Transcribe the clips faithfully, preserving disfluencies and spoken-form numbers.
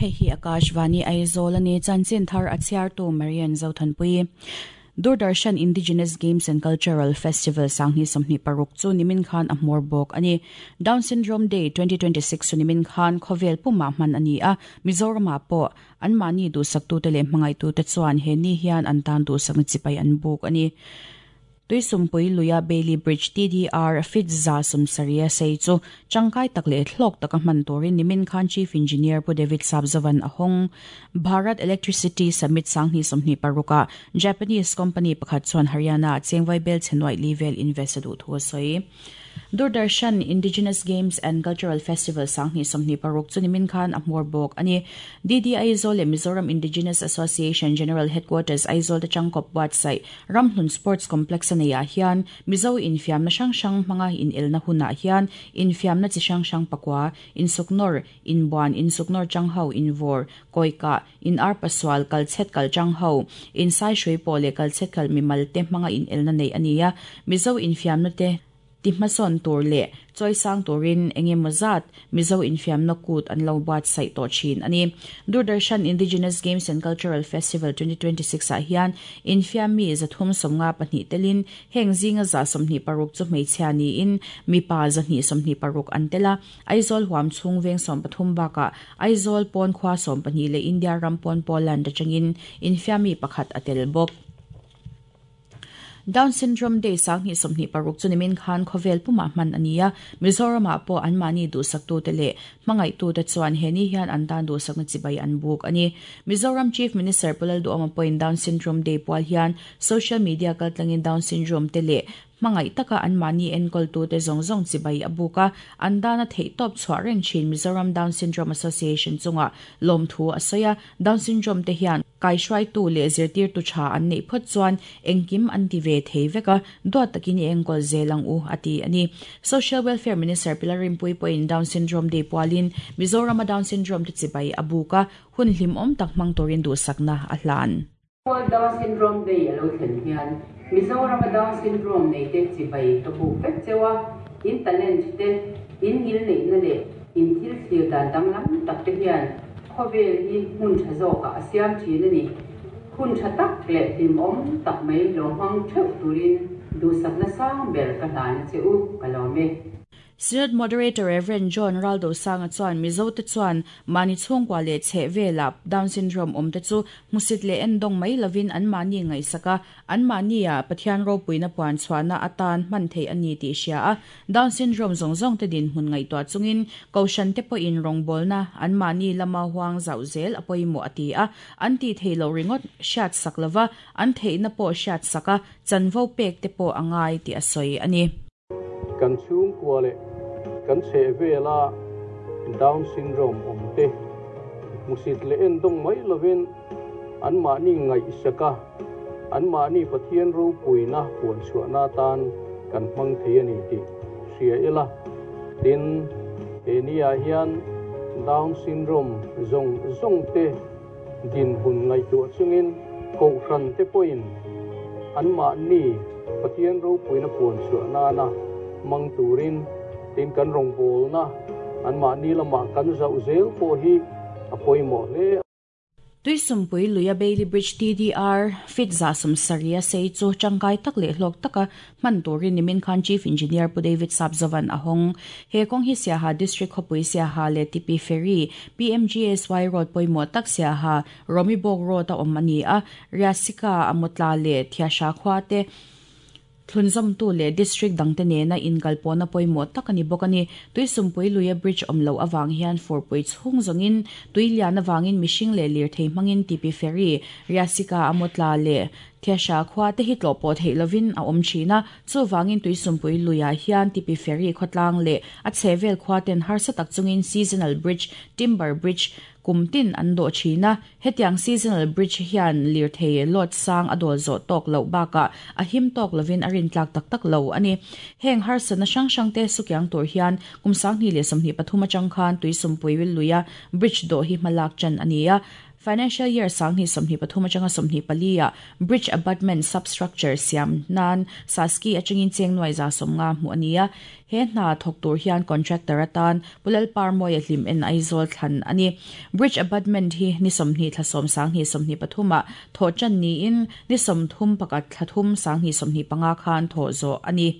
Hei hi Akashvani Aizawl ani chanchin thar a chhiartu Marian Zothanpui. Doordarshan Indigenous Games and Cultural Festival Sangni Somni Paruk chu nimin khan a hmawr bawk ani. Down Syndrome Day twenty twenty-six chu nimin khan khawvel puma hman ani a. Mizoram pawh an mahni duhsak te leh hmangaih tu te chuan he ni hian an tan duhsakna chipai an buk ani. Tuisumpui Luya Bailey Bridge T D R Fit za sumsaria sei chu changkai tak le thlok taka hman turin nimin khan Chief Engineer Pu David Sabzavan ahong Bharat Electricity Summit Sangni Somni Paruka Japanese company pakhat chuan Haryana chengwai bel chenwai level invest du thu soi. Doordarshan Indigenous Games and Cultural Festival Sangni Somni Paruk chu nimin khan a hmawr bawk ani. D D Aizawl le Mizoram Indigenous Association General Headquarters Aizawl te changkop website Ramhlun Sports Complex aneia hian Mizo infiam na hrang hrang hmanga in elna huna hian infiam na chi hrang hrang pakwa insuknor inbuan insuknor changho invor koika in arpaswal kalchet kal changho in sai shrui pole kalchet kal mimal te hmanga in elna nei ania Mizo infiam na te ti hmasawn tur leh chawisang turin engemaw zat Mizo infiam na kut an lo buatsaih tawh thin ani. Doordarshan Indigenous Games and Cultural Festival twenty twenty-six ah hian infiam mi zathum sawmnga pahnih telin heng zinga za sawmhnih paruk chu hmeichhia niin mipa zahnih sawmhnih paruk an tela. Aizawl huam chhung veng sawm pathum bakah Aizawl pawn khua sawm pahnih leh India ram pawn Poland atangin infiam mi pakhat a tel bawk. Down Syndrome Day Sangni Somni Paruk chu nimin khan khawvel puma hman ania. Mizoram pawh an mahni duhsak tu te leh hmangaih tu te chuan he ni hian an tan duhsakna chibai an buk ani. Mizoram Chief Minister Pu Lalduhoma pawhin Down Syndrome Day pual hian social media kaltlangin Down Syndrome te leh hmangaih taka an mahni enkawl tu te zawng zawng chibai a buka an dana theih tawp chhuah reng thin Mizoram Down Syndrome Association chunga lawmthu a sawi a. Down Syndrome te hian kaihruai tu leh zirtir tu tha an neih phawt chuan engkim an ti ve thei veka duat takin enkawl zelang u ati ani. Social Welfare Minister Pilar Rimpui pawhin Down Syndrome Day pualin Mizoram Down Syndrome te chibai a buka hun hlim awm tak hmang turin duhsakna a hlan. Down Syndrome Day alo thlen hian Mizoram Down Syndrome nei te chibai ka buk vek chewa in talent te in ngil nei na le in thil thlir dan danglam tak te hian khawvel hi hmun tha zawk a siam thin ani. Hun tha tak leh hlim awm tak mai lo hmang theuh turin duhsakna sang ber ka hlan che u ka lawm e. Synod Moderator Reverend John Raldo Sanga chuan Mizo te chuan mani chhungkua leh chheh vela Down Syndrome awm te chu hmusit leh endawng mai lovin an mahni ngaihsaka an mahni a Pathian ropuina puan chhuahna atan hman thei ani tih hria a. Down Syndrome zawng zawng te din hmun ngaihtuah chungin kohhran te pawhin rawngbawlna an mahni lama huang zauh zel a pawimawh a ti a. An ti thei lo ringawt hriat sak lova an theihna pawh hriat saka chanvo pek te pawh a ngai tih a sawi ani. Kan chhungkua leh kan chheh vela Down Syndrome awm te hmusit leh endawng mai lovin an mahni ngaihsaka an mahni Pathian ropuina puan chhuahna tan kan hmang thei ani tih hria ila. Tin he ni ah hian Down Syndrome zawng zawng te din hun ngaihtuah chungin kohhran te pawhin an mahni Pathian ropuina puan chhuahna na mang turin tin kan rawngbawlna an mahni lama kan zauh zel pawh hi a pawimawh hle. Tuisumpui Luya Bailey Bridge T D R Fit za sumsaria sei chu changkai tak leh hlawk taka hman turin nimin khan Chief Engineer Pu David Sabzavan ahong he kawng hi Siaha District khawpui Siaha leh T P Ferry P M G S Y Road pawimawh tak Siaha Romibawk Road a awm ani a. Riasika Amotla leh Thiasha khua te thlunzawm tu leh district dangte nena inkalpawna pawimawh tak ani bawk ani. Tuisumpui Luya Bridge awm lo awang hian furpui chhung zawngin tuilian awangin mihring leh lirthei hmangin T P Ferry Riasika Amotla leh Thiasha khua te hi tlawh pawh theih lovin a awm thin a. Chuwangin Tuisumpui Luya hian T P Ferry khawtlang leh a chhehvel khua ten harsa tak chungin seasonal bridge timber bridge kumtin an dawh thin a. Hetiang seasonal bridge hian lirthei lot sang a dawl zawh tawk loh bakah a him tawk lovin a rin tlak tak tak lo ani. Heng harsana hrang hrang te sukiang tur hian kum sanghnih leh sawmhnih pathum atang khan Tuisumpui Luya bridge dawh hi hmalak chan ani a. Financial year sang ni somni pathum atanga somni palia bridge abutment substructure siam nan saski atangin cheng noi za somnga mu ania he hna thok tur hian contractor atan pulal parmoi hlim en Aizawl thlan ani bridge abutment hi ni somni thlasom sang ni somni pathuma tho chan ni in ni somthum pakat thlathum sang ni somni panga khan tho zo ani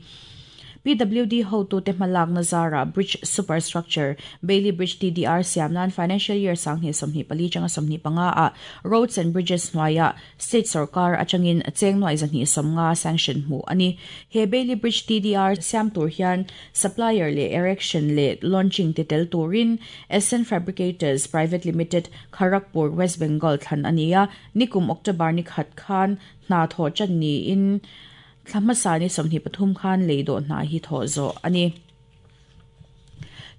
P W D ho tu te malak na zara bridge superstructure Bailey Bridge T D R siamnan financial year sang ni somni pali changa somni panga a roads and bridges noya state sarkar achangin cheng noi zani somnga sanction mu ani he Bailey Bridge T D R siam tur hian supplier le erection le launching titel turin S N Fabricators Private Limited Kharagpur West Bengal than ania nikum October ni khat khan na tho chan ni in Thamasani somni pathum khan leido na hi tho zo ani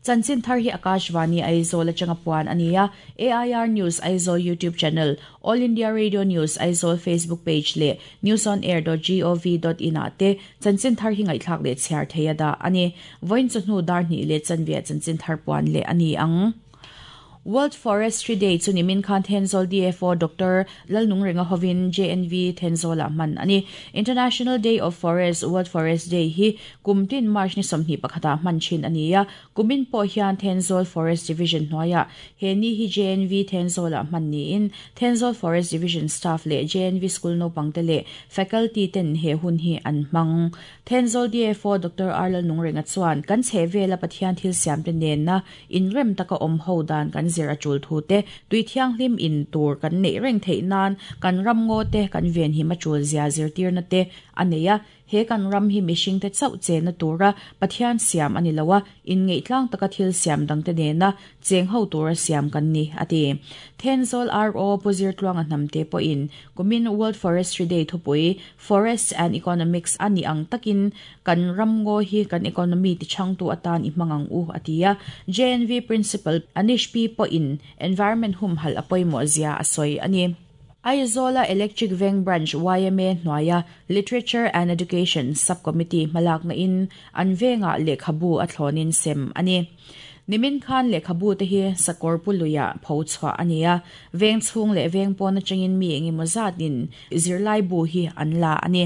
Chanchin thar hi Akashvani Aizawl atanga puan ania A I R News Aizawl YouTube channel All India Radio News Aizawl Facebook page le news on air dot gov dot in ate chanchin thar hi ngai thlak le chhiar theia da ani voin chu hnu dar ni le chanvia chanchin thar puan le ani ang World Forestry Day chu nimin khan Thenzawl D F O Doctor Lalnung Renga Hovin J N V Thenzawl man ani International Day of Forest World Forest Day hi kumtin March ni somni pakhata man chin ania kumin po hian Thenzawl Forest Division hnoya he ni hi J N V Thenzawl man ni in Thenzawl Forest Division staff le J N V school no pangte le faculty ten he hun hi an mang Thenzawl D F O Doctor R Lalnung Renga chuan kan chhevela Pathian thil siam te nen na inrem taka om ho dan kan zira chul thu te tui thiang hlim in tur kan nei reng thei nan kan ram ngo te kan ven hi ma chul zia zir tir na te aneya he kan ram hi mishing te chau che na tura Pathian siam ani lawa in ngei tlang taka thil siam dang te ne na cheng ho tura siam kan ni ati Thenzawl R O Puzir tluang nam te po in kumin World Forestry Day thupui Forest and Economics ani ang takin kan ram ngo hi kan economy ti chang tu atan i mangang u atia J N V Principal Anish P po in environment hum hal apoimo zia asoi ani Aizola Electric Veng Branch Y M A Noya Literature and Education Subcommittee malak na in anvenga lekhabu athlonin sem ani nimin khan lekhabu te hi sakorpuluya phochwa ania veng chung le veng pon changin mi engi mozatin zirlai bu hi anla ani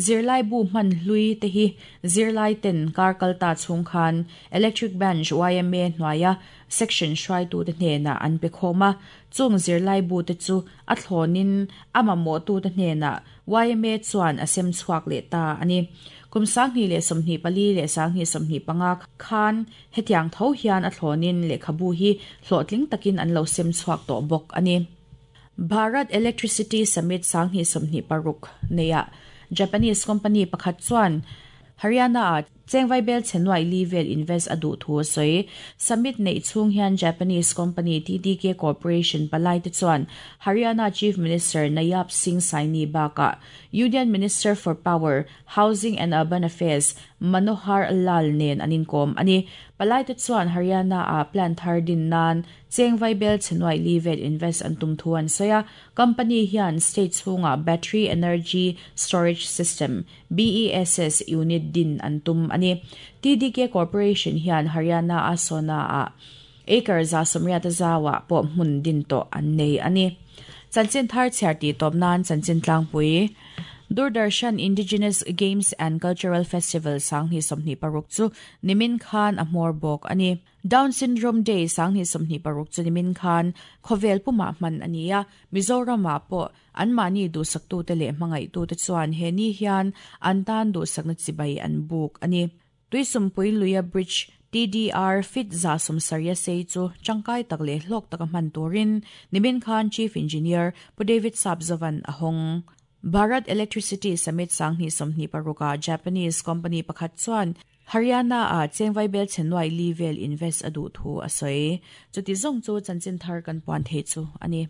zirlai bu man hlui te hi zirlai ten karkalta chung khan Electric Branch Y M A Noya section shrai tu te hne na an pe khoma chung zirlai bu te chu a thlonin ama mo tu te hne na Y M A chuan asem chuak le ta ani kum sang hi le somni pali le sang hi somni panga khan hetiang tho hian a thlonin le khabu hi hlotling takin an lo sem chuak to bok ani Bharat Electricity Summit sang hi somni paruk neya Japanese company pakhat chuan Haryana a chengwai bel chenwai level invest adu thu soi summit nei chung hian Japanese company T D K Corporation palai te chuan Haryana Chief Minister Nayab Singh Saini baka Union Minister for Power Housing and Urban Affairs Manohar Lal nen anin kom ani palai te chuan Haryana a plan thar din nan chengwai bel chenwai level invest an tum thuan soya company hian state chunga battery energy storage system B E S S unit din an tum ani T D K Corporation hian Haryana a sona a acre za somria ta zawa po mun din to an nei ani chanchin thar charti top nan chanchin tlangpui Doordarshan Indigenous Games and Cultural Festival sang hi somni paruk chu nimin khan a hmor bawk ani Down Syndrome Day sang hi somni paruk chu nimin khan khovel puma man ania Mizoram ah pawh an mani du saktu te leh hmangaih tu te chuan he ni hian an tan du sakna chibai an buk ani Tuisumpui Luya Bridge T D R fit za somsaria sei chu changkai tak le hlok taka man turin nimin khan Chief Engineer Pu David Sabzavan ahong Bharat Electricity Summit sangni somni paruka Japanese company pakhat chuan Haryana a chengwai bel chenwai level invest adu thu asoi chuti zong chu chanchin thar kan puan the chu ani.